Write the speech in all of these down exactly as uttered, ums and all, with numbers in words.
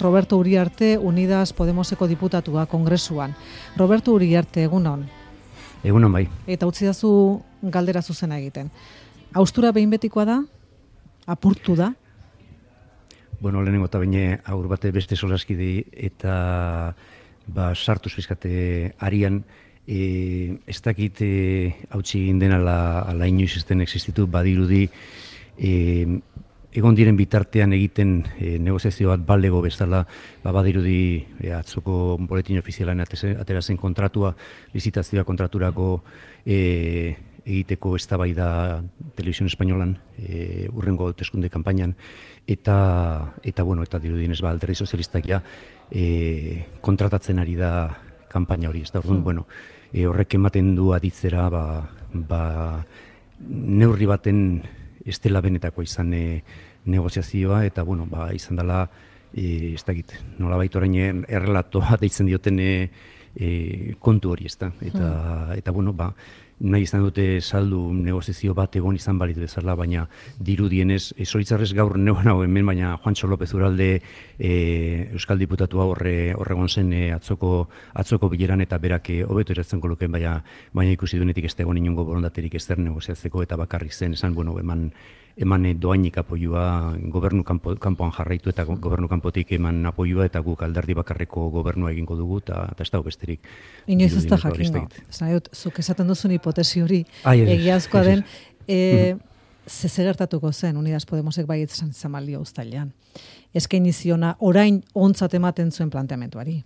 Roberto Uriarte, Unidas Podemoseko diputatua kongresuan. Roberto Uriarte, egunon. Egunon bai. Eta utzi dazu galdera zuzena egiten. Haustura behin betikoa da? Apurtu da? Bueno, lehenengo eta baina aur bate beste solaskide eta ba, sartuz bizkate arian, e, ez dakit e, hautsi egin den ala, ala inoiz ez den existitu, badirudi e, egon diren bitartean egiten e, negoziazio bat balego bezala, ba, badirudi e, atzoko boletin ofizialan atera zen kontratua, lizitazioa kontraturako e, egiteko eztabaida Televisión Espainolan, e, urrengo hauteskunde kanpainan, eta, eta, bueno, eta dirudienez ba, alderdi sozialistak ja, e, kontratatzen ari da kanpaina hori. Ez da, orduan, hmm. bueno, e, horrek ematen du aditzera, ba, ba, neurri baten ez dela benetako izan e, negoziazioa, eta, bueno, ba, izan dela, e, ez dakit, nolabait orain errelatoa deitzen dioten e, e, kontu hori, ez da, eta, hmm. eta, bueno, ba, nahi izan dute saldu negoziazio bat egon izan balitu bezala, baina dirudienez, e, zoritzarrez gaur neuan hau hemen, baina Juantxo López Uralde e, Euskal Diputatua horre horregon zen e, atzoko, atzoko bileran eta berak e, hobeto eratzen kolukeen, baina, baina ikusi duenetik ez da egon inongo borondaterik ezer negoziatzeko eta bakarrik zen, esan, bueno, eman, eman doainik apoioa gobernu kanpo, kanpoan jarraitu eta gobernu kanpotik eman apoioa eta guk alderdi bakarreko gobernua egingo dugu eta, eta ez dago besterik. Inoiz ez da jakingo. Zuk esaten duzun hipotesi hori egiazkoa den, e, ze gertatuko zen Unidas Podemosek baietz esan izan balio uztailean. Eskaini ziona orain ontzat ematen zuen planteamenduari.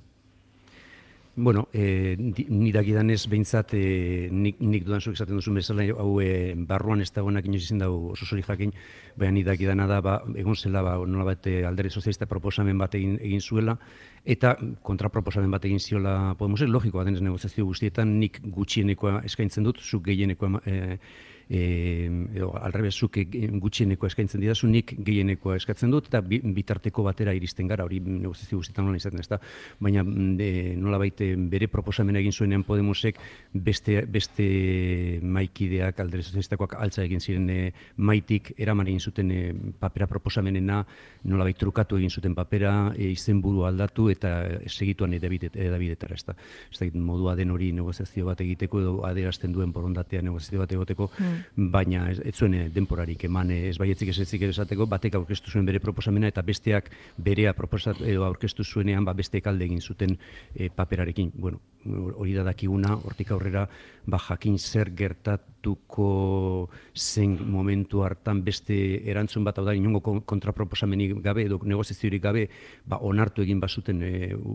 Bueno, eh, ni dakidanez behintzat eh, nik, nik dudan zuek esaten duzun bezala, hau eh, barruan ez dagoenak inoiz izin dago oso zori jakin, baina ni dakidana da, ba, egon zela, ba, nolabait alderdi sozialista proposamen bat egin, egin zuela, eta kontraproposamen bat egin ziola Podemosek, logikoa denez negoziazio guztietan, nik gutxienekoa eskaintzen dut, zuk gehienekoa eh, E, edo, alrebez zuk gutxieneko eskaintzen didazu, nik gehienekoa eskatzen dut, eta bitarteko batera iristen gara, hori negoziazio guztietan nola izaten ez da, baina e, nola baite bere proposamena egin zuenean Podemosek beste, beste maikideak, alderdi sozialistakoak altza egin ziren e, maitik, eraman egin zuten e, papera proposamenena, nola baita trukatu egin zuten papera, e, izenburu aldatu eta segituan edabidetara, ez da. Ez da, modua den hori negoziazio bat egiteko edo adierazten duen borondatea negoziazio bat egoteko, mm. baina ez, ez zuen denporarik eman ez baietzik ez etzik esateko, batek aurkeztu zuen bere proposamena eta besteak berea proposatu edo aurkeztu zuenean ba besteek alde egin zuten e, paperarekin. Bueno, hori da dakiguna, hortik aurrera ba jakin zer gertatuko zen momentu hartan beste erantzun bat, hau da inongo kontraproposamenik gabe edo negoziaziorik gabe, ba onartu egin bazuten e,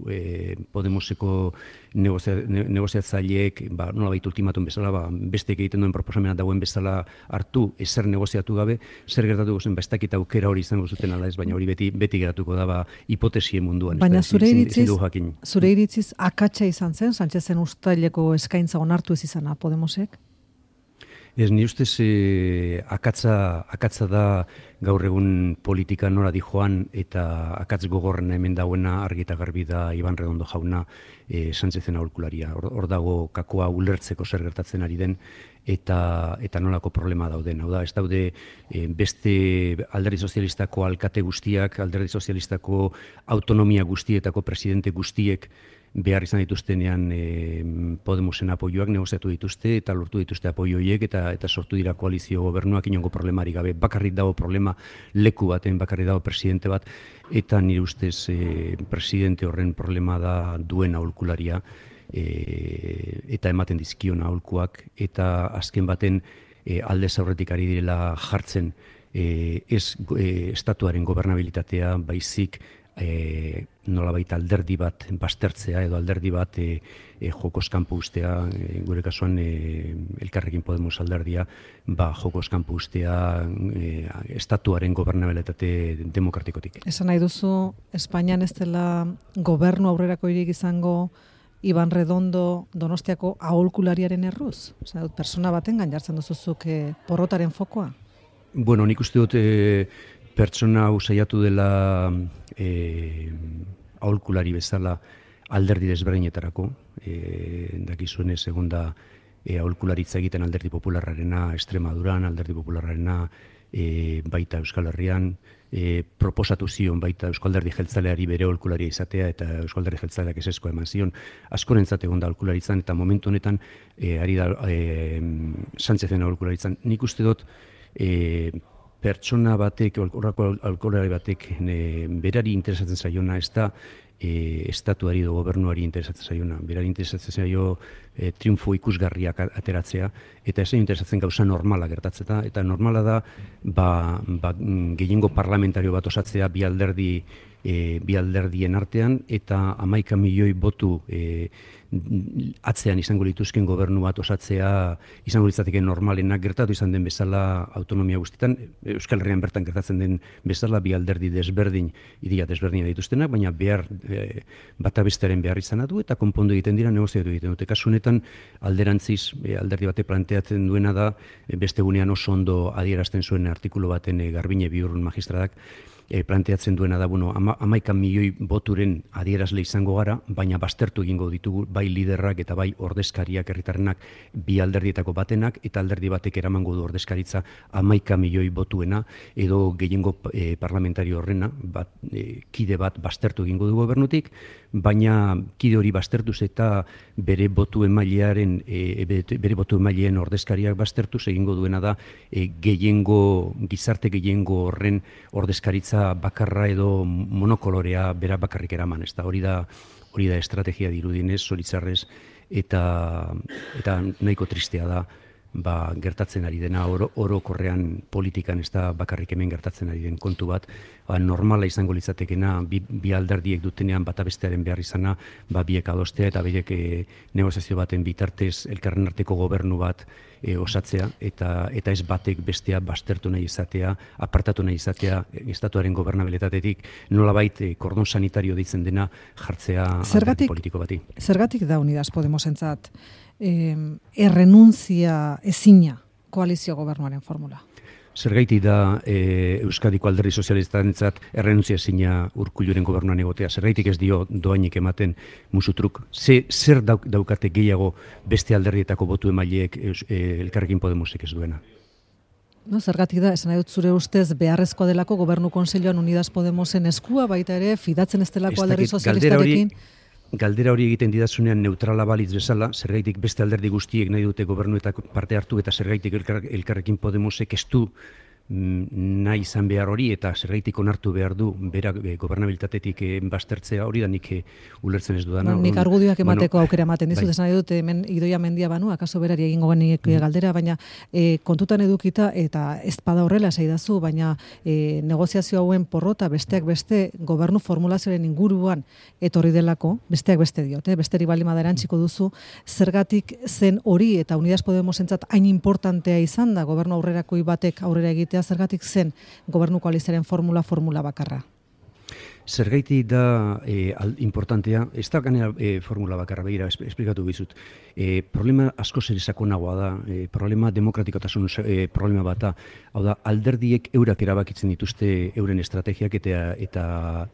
e, Podemoseko negozia, ne, negoziatzaileek ba nolabait ultimatum bezala ba besteek egiten duen proposamena dagoen bezala hartu, ezer negoziatu gabe, zer gertatuko zen, ba, ez dakit aukera hori izango zuten ala ez, baina hori beti, beti geratuko da, ba, hipotesien munduan. Baina zure iritziz, zure iritziz akatsa izan zen, Sánchezen uztaileko eskaintza onartu ez izana Podemosek? Ez, ni ustez eh, akatza, akatza da gaur egun politika nora di joan eta akatz gogorrena hemen dauena argi eta garbi da Iban Redondo jauna eh, Sánchezen aholkularia. Hor, hor dago kakoa ulertzeko zer gertatzen ari den eta eta nolako problema dauden. Hau da, ez daude eh, beste alderdi sozialistako alkate guztiak, alderdi sozialistako autonomia guztietako presidente guztiek behar izan dituztenean e, Podemosen apoioak negoziatu dituzte eta lortu dituzte apoio horiek eta eta sortu dira koalizio gobernuak inongo problemari gabe. Bakarrik dago problema leku baten, bakarrik dago presidente bat eta nire ustez e, presidente horren problema da duen aholkularia e, eta ematen dizkion aholkuak eta azken baten e, aldez aurretik ari direla jartzen e, ez e, estatuaren gobernabilitatea baizik E, nolabait alderdi bat baztertzea edo alderdi bat e, e, jokoz kanpo ustea, e, gure kasuan e, Elkarrekin Podemos alderdia, ba, jokoz kanpo ustea e, estatuaren gobernabilitate demokratikotik. Esan nahi duzu, Espainian ez dela gobernu aurrerako irik izango Iban Redondo Donostiako aholkulariaren erruz? Osa, persona baten gain jartzen duzuzuk e, porrotaren fokoa? Bueno, nik uste dut e, pertsona hau saiatu dela e, aholkulari bezala alderdi desberdinetarako. E, dakizuenez egon da e, aholkularitza egiten alderdi popularrarena Extremaduran, alderdi popularrarena e, baita Euskal Herrian, e, proposatu zion baita Euskal Alderdi Jeltzaleari bere aholkularia izatea, eta Euskal Alderdi Jeltzaleak ezezkoa eman zion, askorentzat egon da aholkularitzan, eta momentu honetan e, ari da e, Sánchezen aholkularitzan. Nik uste dut, e, pertsona batek, horrako aholkulari batek e, berari interesatzen zaiona, ez da E, estatuari edo gobernuari interesatzen zaiona. Berari interesatzen zaio e, triunfo ikusgarriak ateratzea, eta esain interesatzen gauza normala gertatzeta, eta normala da ba, ba, gehiengo parlamentario bat osatzea bi alderdi e, bi alderdien artean, eta hamaika milioi botu e, atzean izango lituzken gobernu bat osatzea izango litzateke normalenak, gertatu izan den bezala autonomia guztietan, Euskal Herrian bertan gertatzen den bezala bi alderdi desberdin, ideia desberdina dituztenak, baina behar e, bata bestearen behar izan du, eta konpondu egiten dira, negoziatu egiten dute. Kasu honetan alderantziz e, alderdi bate planteatzen duena da, e, beste gunean oso ondo adierazten zuen artikulu baten e, Garbine Biurrun magistradak, E, planteatzen duena da, bueno, ama, amaika milioi boturen adierazle izango gara, baina baztertu egingo ditugu bai liderrak eta bai ordezkariak herritarrenak bi alderdietako batenak, eta alderdi batek eramango du ordezkaritza amaika milioi botuena, edo gehiengo e, parlamentario horrena, bat, e, kide bat baztertu egingo du gobernutik, baina kide hori baztertuz eta bere botu emailearen, e, bere botu emaileen ordezkariak baztertuz egingo duena da e, gehiengo, gizarte gehiengo horren ordezkaritza bakarra edo monokolorea bera bakarrik eraman, ez da, hori da, hori da estrategia dirudinez, zoritzarrez, eta, eta nahiko tristea da, ba, gertatzen ari dena, oro, orokorrean politikan ez da bakarrik hemen gertatzen ari den kontu bat, ba, normala izango litzatekena, bi, bi alderdiek dutenean bata bestearen behar izana, ba, biek adostea, eta biek e, negoziazio baten bitartez elkarren arteko gobernu bat e, osatzea, eta eta ez batek bestea baztertu nahi izatea, apartatu nahi izatea, estatuaren gobernabilitatetik, nolabait e, kordon sanitario deitzen dena jartzea alderdi politiko bati. Zergatik da Unidas Podemosentzat eh, errenuntzia ezina koalizio gobernuaren formula? Zergaiti da e, Euskadiko alderdi sozialistarentzat errenuntzia ezina Urkulluren gobernuan egotea? Zergaitik ez dio doainik ematen musutruk? Ze, zer dauk, daukate gehiago beste alderdietako botu emaileek e, Elkarrekin Podemosek ez duena? No, zergatik da, esan nahi dut zure ustez beharrezkoa delako gobernu kontseiluan Unidas Podemosen eskua, baita ere fidatzen ez delako alderdi sozialistarekin? Galdera hori egiten didazunean neutrala balitz bezala, zergaitik beste alderdi guztiek nahi dute gobernuetak parte hartu, eta zergaitik elkar, Elkarrekin Podemosek ez du nahi izan behar hori, eta zergaitik onartu behar du bera e, gobernabilitatetik e, baztertzea hori da nik e, ulertzen ez dudana. No, nik argudioak emateko bueno, aukera ematen dizut, bai. Esan nahi dut, hemen Idoia Mendia banu, akaso berari egingo genik mm. galdera, baina e, kontutan edukita, eta ez pada horrela esaidazu, baina e, negoziazio hauen porrota besteak beste gobernu formulazioaren inguruan etorri delako, besteak beste diote, besteri baldin bada erantziko duzu, zergatik zen hori eta Unidas Podemosentzat hain importantea izan da gobernu aurrerakoi batek aurrera egitea, zergatik zen gobernu koalizioaren formula formula bakarra? Zergaiti da e, al, importantea, ez da ganera e, formula bakarra, begira, esplikatu bizut. E, problema asko zer sakonagoa da, e, problema demokratikotasun e, problema bata, hau da, alderdiek eurak erabakitzen dituzte euren estrategiak eta eta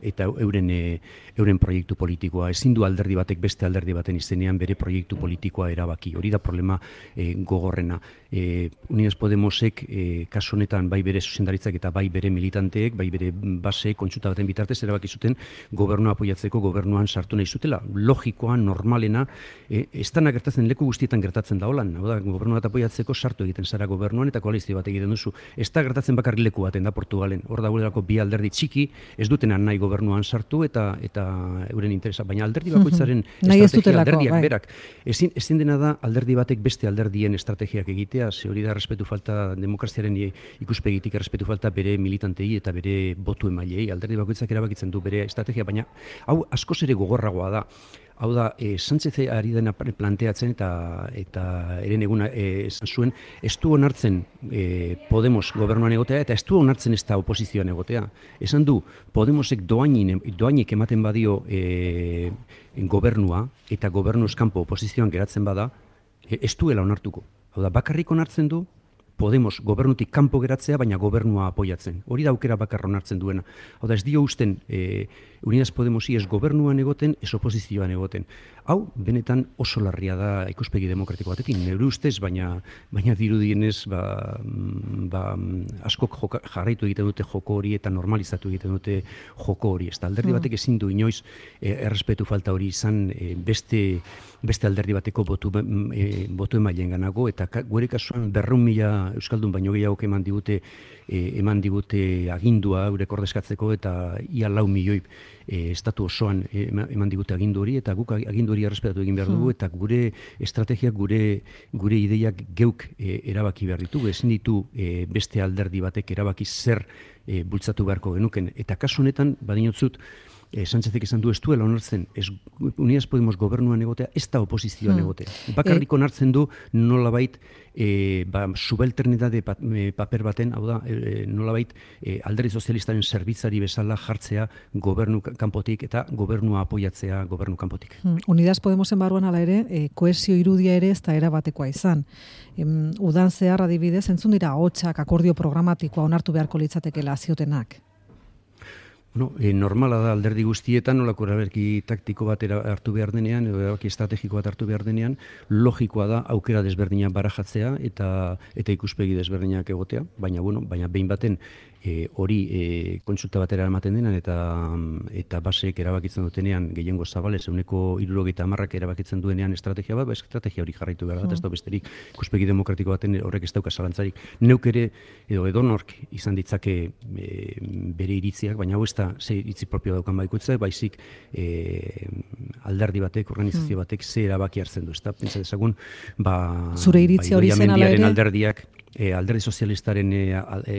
eta euren e, euren proiektu politikoa. Ezin du alderdi batek beste alderdi baten izenean bere proiektu politikoa erabaki. Hori da problema e, gogorrena. E, Unidas Podemosek e, kasu honetan bai bere zuzendaritzak eta bai bere militanteek, bai bere base kontsulta baten bitartez erabaki zuten gobernua apoiatzeko gobernuan sartu nahi zutela. Logikoa, normalena, e, ez dana gertatzen leku guztietan gertatzen da holan. Hau da, gobernua bat apoiatzeko sartu egiten zara gobernuan eta koalizio bat egiten duzu. Ez da gertatzen bakarrik leku baten da Portugalen. Hor dagoelako bi alderdi txiki, ez dutena nahi gobernuan sartu eta eta euren interesa. Baina alderdi bakoitzaren estrategia alderdiak bai. Berak. Ezin, ezin dena da alderdi batek beste alderdien estrategiak egitea, ze hori da respetu falta demokraziaren ikuspegitik respetu falta bere militantei eta bere botu emailei. Alderdi bakoitzak erabakitzen du bere estrategia, baina hau askoz ere gogorragoa da. Hau da, e, Sánchez ari dena planteatzen eta eta eren eguna e, esan zuen, ez du onartzen e, Podemos gobernuan egotea eta ez du onartzen ez da oposizioan egotea. Esan du, Podemosek doainin, doainik ematen badio e, gobernua eta gobernu eskampo oposizioan geratzen bada, e, ez duela onartuko. Hau da, bakarrik onartzen du, Podemos gobernutik kanpo geratzea, baina gobernua apoiatzen. Hori da aukera bakarra onartzen duena. Hau da, ez dio usten e, Unidas Podemosi ez gobernuan egoten, ez oposizioan egoten. Hau, benetan oso larria da ikuspegi demokratiko batekin, neure ustez, baina, baina dirudienez, ba, ba, askok joka, jarraitu egiten dute joko hori eta normalizatu egiten dute joko hori. Ez da, alderdi batek ezin du inoiz eh, errespetu falta hori izan eh, beste, beste alderdi bateko botu, eh, botu emailen ganago, eta ka, gure kasuan berreun mila Euskaldun baino gehiago eman digute, eh, eman digute agindua eurek ordezkatzeko, eta ia lau milioi eh, estatu osoan eh, eman digute agindu hori, eta guk agindu hori errespetatu egin behar dugu, eta gure estrategiak, gure, gure ideiak geuk eh, erabaki behar ditugu, ezin ditu eh, beste alderdi batek erabaki zer eh, bultzatu beharko genuken. Eta kasu honetan, badinotzut, Eh, Sánchezek esan du ez duela onartzen, ez Unidas Podemos gobernuan egotea, ez da oposizioan egotea. Bakarrik onartzen du nolabait eh, ba, subalternidade pa, eh, paper baten, hau da, eh, nolabait eh, alderdi sozialistaren zerbitzari bezala jartzea gobernu kanpotik eta gobernua apoiatzea gobernu kanpotik. Hmm. Unidas Podemosen barruan ala ere, eh, kohesio irudia ere ez da erabatekoa izan. Em, udan zehar adibidez, entzun dira hotxak akordio programatikoa onartu beharko litzatekeela ziotenak. No, e, normala da alderdi guztietan, nolako erabaki taktiko bat hartu behar denean, edo erabaki estrategiko bat hartu behar denean, logikoa da aukera desberdinak barajatzea eta eta ikuspegi desberdinak egotea, baina bueno, baina behin baten e, hori e, kontsulta batera ematen denan eta eta baseek erabakitzen dutenean gehiengo zabalez ehuneko hirurogeita hamarrak erabakitzen duenean estrategia bat, ba estrategia hori jarraitu behar da, ez da besterik ikuspegi demokratiko baten horrek ez dauka zalantzarik. Neuk ere edo edonork izan ditzake e, bere iritziak, baina hau ez da ze iritzi propio daukan baikoitza, baizik e, alderdi batek, organizazio batek ze erabaki hartzen du, ezta? Pentsa dezagun, ba, zure iritzi hori zen ala ere alderdiak E, alderdi sozialistaren e, e,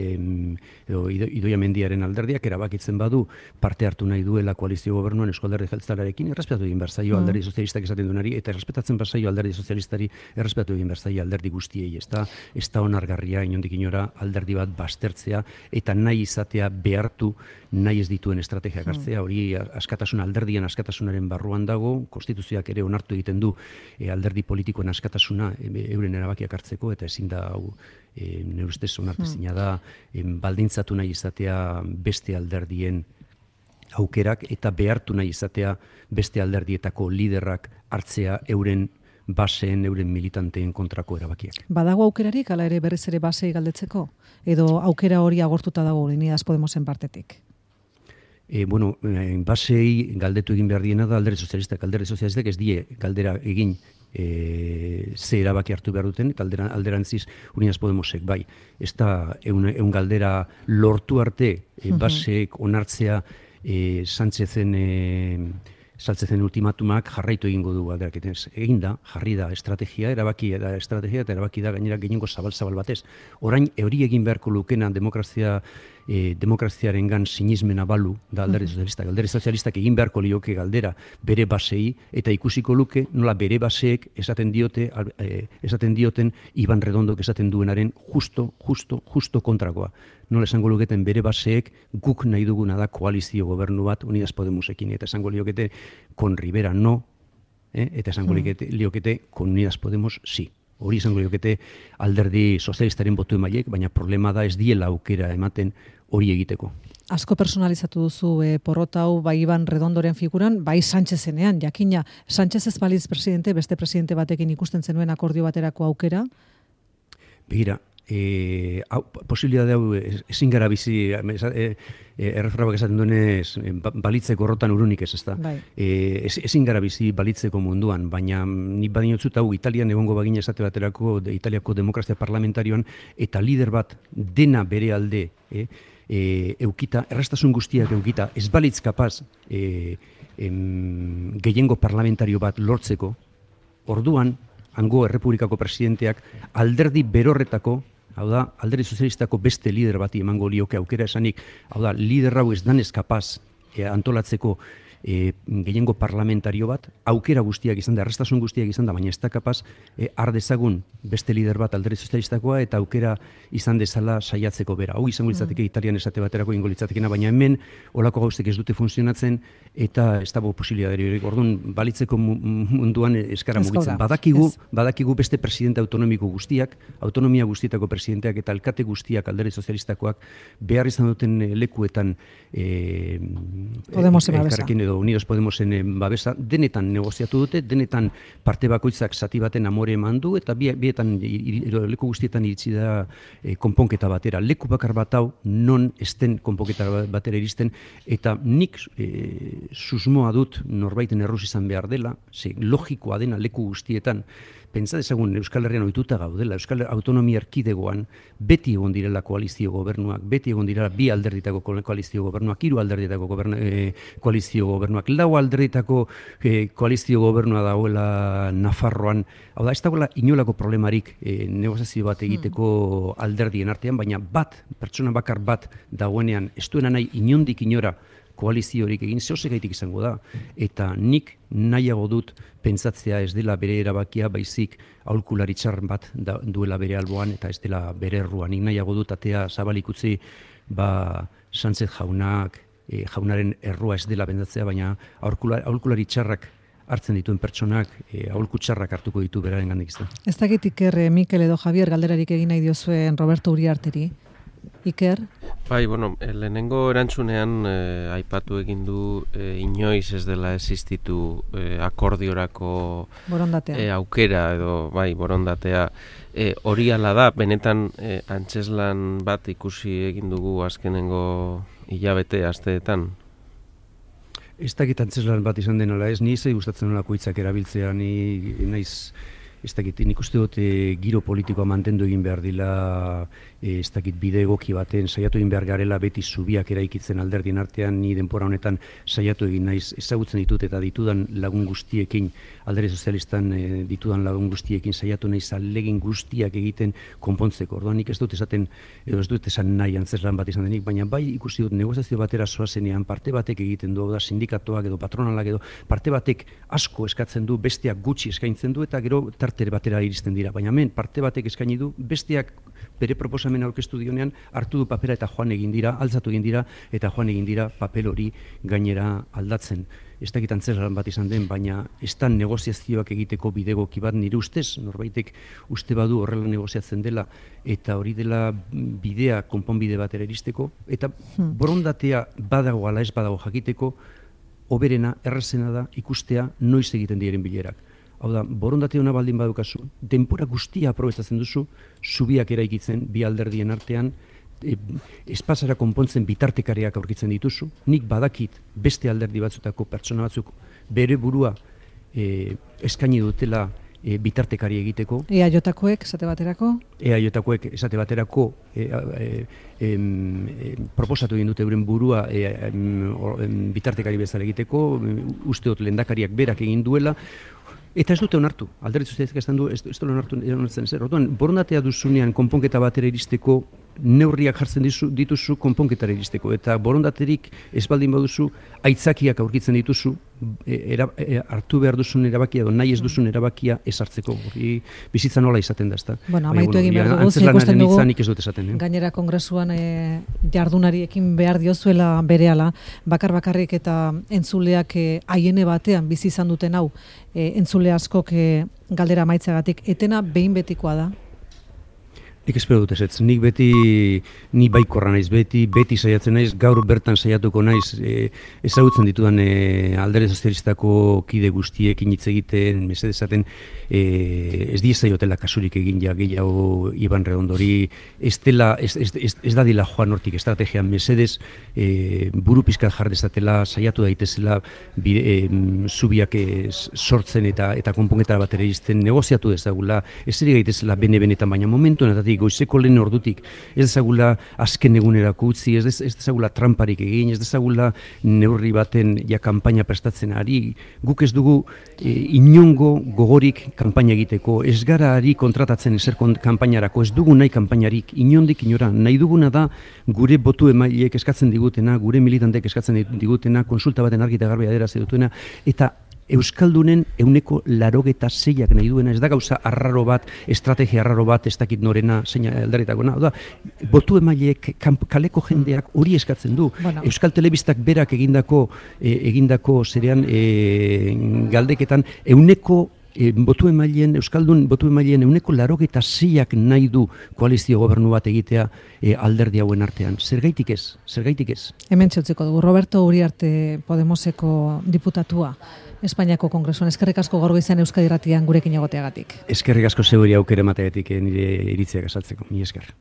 edo Idoia Mendiaren alderdiak erabakitzen badu parte hartu nahi duela koalizio gobernuan Eusko Alderdi Jeltzalearekin, errespetatu egin behar zaio alderdi sozialistak esaten duenari, eta errespetatzen behar zaio alderdi sozialistari, errespetatu egin behar zaio alderdi guztiei, ez da, ez da onargarria inondik inora alderdi bat bastertzea eta nahi izatea behartu nahi ez dituen estrategiak hartzea, hori askatasun alderdian askatasunaren barruan dago, konstituzioak ere onartu egiten du e, alderdi politikoen askatasuna e, euren erabakiak hartzeko, eta ezin da hau E, nire ustez onartezina da e, baldintzatu nahi izatea beste alderdien aukerak eta behartu nahi izatea beste alderdietako liderrak hartzea euren baseen, euren militanteen kontrako erabakiak. Badago aukerarik, ala ere berriz ere basei galdetzeko? Edo aukera hori agortuta dago Unidas Podemosen partetik? E, bueno, basei galdetu egin behar diena da alderdi sozialistak. Alderdi sozialistak ez die galdera egin E, ze erabaki hartu behar duten, eta alderan, alderantziz Unidas Podemosek, bai, ez da eun, eun galdera lortu arte e, baseek onartzea e, Sánchezen e, Sánchezen ultimatumak jarraitu egingo du alderak. Egin da, jarri da estrategia, erabaki da estrategia, eta erabaki da gainera gehiengo zabal-zabal batez. Orain, hori egin beharko lukena demokrazia E, demokraziarengan sinismena balu da alderdi sozialistak. Alderdi sozialistak egin beharko lioke galdera bere basei eta ikusiko luke nola bere baseek esaten diote e, esaten dioten Iban Redondok esaten duenaren justo, justo, justo kontrakoa. Nola esango luketen bere baseek guk nahi duguna da koalizio gobernu bat Unidas Podemosekin, eta esango liokete con Rivera no, eh? eta esango liokete, liokete con Unidas Podemos sí. Hori izango liokete alderdi sozialistaren botu emaileek, baina problema da ez diela aukera ematen hori egiteko. Asko personalizatu duzu e, porrota hau bai Iban Redondoren figuran, bai Sánchezenean, jakina. Sánchez ez balitz presidente, beste presidente batekin ikusten zenuen akordio baterako aukera? Begira, e, hau, posibilitate hau ezin gara bizi, e, e, errefrabak esaten duenez, balitzeko horrotan urunik ez, ezta. Bai. E, ez, ezin gara bizi balitzeko munduan, baina nik badinotzut hau Italian egongo bagina esate baterako, de, Italiako demokrazia parlamentarioan, eta lider bat dena bere alde, e, e, eukita, errastasun guztiak eukita, ez balitz kapaz e, em, gehiengo parlamentario bat lortzeko, orduan, hango errepublikako presidenteak alderdi berorretako, hau da, alderdi sozialistako beste lider bati emango lioke aukera esanik, hau da, lider hau ez danez kapaz e, antolatzeko e, gehiengo parlamentario bat, aukera guztiak izan da, errestasun guztiak izan da, baina ez da kapaz, e, har dezagun beste lider bat alderdi sozialistakoa eta aukera izan dezala saiatzeko bera. Hau izango litzateke mm. Italian esate baterako ingo litzatekena, baina hemen olako gauztek ez dute funtzionatzen eta ez dago posibilitate hori. Orduan, balitzeko munduan eskara mugitzen. Badakigu, badakigu beste presidente autonomiko guztiak, autonomia guztietako presidenteak eta alkate guztiak alderdi sozialistakoak behar izan duten lekuetan e, Podemosen babesa. Edo Unidos Podemosen babesa, denetan negoziatu dute, denetan parte bakoitzak zati baten amore eman du, eta bietan, leku guztietan iritsi da e, konponketa batera. Leku bakar bat hau, non esten konponketa batera iristen, eta nik e, susmoa dut norbaiten erruz izan behar dela, ze logikoa dena leku guztietan, pentsa dezagun Euskal Herrian ohituta gaudela, Euskal Autonomia Erkidegoan beti egon direla koalizio gobernuak, beti egon direla bi alderditako koalizio gobernuak, hiru alderditako gobernu, e, koalizio gobernuak, lau alderditako e, koalizio gobernua dagoela Nafarroan. Hau da, ez dagoela inolako problemarik e, negoziazio bat egiteko alderdien artean, baina bat, pertsona bakar bat dagoenean, ez duena nahi inondik inora koaliziorik egin zehosegaitik izango da. Eta nik nahiago dut pentsatzea ez dela bere erabakia, baizik aholkulari txar bat da, duela bere alboan eta ez dela bere erruan. Nik nahiago dut atea zabalik utzi ba, Sánchez jaunak, e, jaunaren errua ez dela bendatzea, baina aholkulari txarrak hartzen dituen pertsonak, e, aholku txarrak hartuko ditu beraren gandik izan. Ez dakit Iker, Mikel edo Javier galderarik egin nahi diozuen Roberto Uriarteri. Iker? Bai, bueno, lehenengo erantzunean eh, aipatu egin du eh, inoiz ez dela existitu eh, akordiorako eh, aukera edo bai, borondatea. Eh, hori ala da, benetan eh, antzeslan bat ikusi egin dugu azkenengo hilabete asteetan. Ez dakit antzeslan bat izan denala, ez ni zei gustatzen nolako hitzak erabiltzea, ni naiz ez dakit, nik uste dut e, giro politikoa mantendu egin behar dila, e, ez dakit bide egoki baten, saiatu egin behar garela beti zubiak eraikitzen alderdien artean, ni denpora honetan saiatu egin naiz, ezagutzen ditut eta ditudan lagun guztiekin, alderdi sozialistan e, ditudan lagun guztiekin saiatu naiz alegin guztiak egiten konpontzeko. Orduan nik ez dut esaten, edo ez dut esan nahi antzeslan bat izan denik, baina bai ikusi dut negoziazio batera zoazenean parte batek egiten du, da sindikatuak edo patronalak edo parte batek asko eskatzen du, besteak gutxi eskaintzen du eta gero tartere batera iristen dira, baina hemen parte batek eskaini du, besteak bere proposamen aurkeztu dionean hartu du papera eta joan egin dira, altzatu egin dira eta joan egin dira papel hori gainera aldatzen. Ez dakit antzeslan bat izan den, baina ez da negoziazioak egiteko bidegoki bat nire ustez, norbaitek uste badu horrela negoziatzen dela eta hori dela bidea konponbide batera iristeko, eta borondatea badago ala ez badago jakiteko, hoberena, errazena da ikustea noiz egiten diren bilerak. Hau da, borondate hona baldin badukazu, denpora guztia aprobetzatzen duzu, zubiak eraikitzen bi alderdien artean, e, espazara konpontzen bitartekariak aurkitzen dituzu, nik badakit beste alderdi batzutako pertsona batzuk bere burua e, eskaini dutela e, bitartekari egiteko. E A J-koek esate baterako? E A J-koek esate baterako e, e, e, e, proposatu egin dute euren burua e, e, e, bitartekari bezala egiteko, uste dut lehendakariak berak egin duela, eta ez dute onartu, alderdi sozialistak esan du, ez dute onartu onartzen zer. Orduan, borondatea duzunean konponketa batera iristeko, neurriak jartzen dizu, dituzu konponketara iristeko, eta borondaterik ez baldin baduzu, aitzakiak aurkitzen dituzu, e, era, e, hartu behar duzun erabakia edo nahi ez duzun erabakia ez hartzeko. Hori bizitza nola izaten da, ezta? Bueno, amaitu egin behar dugu, ikusten dugu, ez dut esaten, eh? gainera kongresuan e, jardunariekin behar diozuela berehala, bakar bakarrik eta entzuleak haiene e, batean bizi izan duten hau, e, entzule askok e, galdera amaitzagatik, etena behin betikoa da? Nik espero dut ezetz, nik beti, ni baikorra naiz beti, beti saiatzen naiz, gaur bertan saiatuko naiz, e, ezagutzen ditudan e, alderdi sozialistako kide guztiekin hitz egiten, mesedezaten, e, ez diezaiotela kasurik egin ja gehiago Iban Redondori, ez, dela, ez, ez, ez, ez da dila joan hortik estrategian mesedez, e, buru pizkat jar dezatela, saiatu daitezela, bide, e, zubiak e, sortzen eta eta konponketara batera izten, negoziatu dezagula, ez eri gaitezela bene-benetan, baina momentu honetatik neurri, goizeko lehen ordutik, ez dezagula azken egunerako utzi, ez dezagula tramparik egin, ez dezagula neurri baten ja kanpaina prestatzen ari, guk ez dugu e, inongo gogorik kanpaina egiteko, ez gara ari kontratatzen ezer kanpainarako, ez dugu nahi kanpainarik, inondik inora, nahi duguna da gure botu emaileek eskatzen digutena, gure militanteek eskatzen digutena, konsulta baten argi eta garbi adieraz dutena, eta Euskaldunen euneko larogeta zeiak nahi duena, ez da gauza arraro bat, estrategia arraro bat, ez dakit norena, zeina aldaretako, da, botu emaileek, kaleko jendeak hori eskatzen du. Bueno. Euskal Telebistak berak egindako, e, egindako zerean e, galdeketan, euneko E, botu emaileen, Euskaldun botu emaileen euneko larogeta zeiak nahi du koalizio gobernu bat egitea e, alderdi hauen artean. Zergaitik ez? Zergaitik ez? Hemen txutziko dugu, Roberto Uriarte Podemoseko diputatua Espainiako Kongresuan. Eskerrik asko gaur goizean Euskadi Irratian gurekin egoteagatik. Eskerrik asko zeuri aukera emateagatik nire iritziak azaltzeko. Mi esker.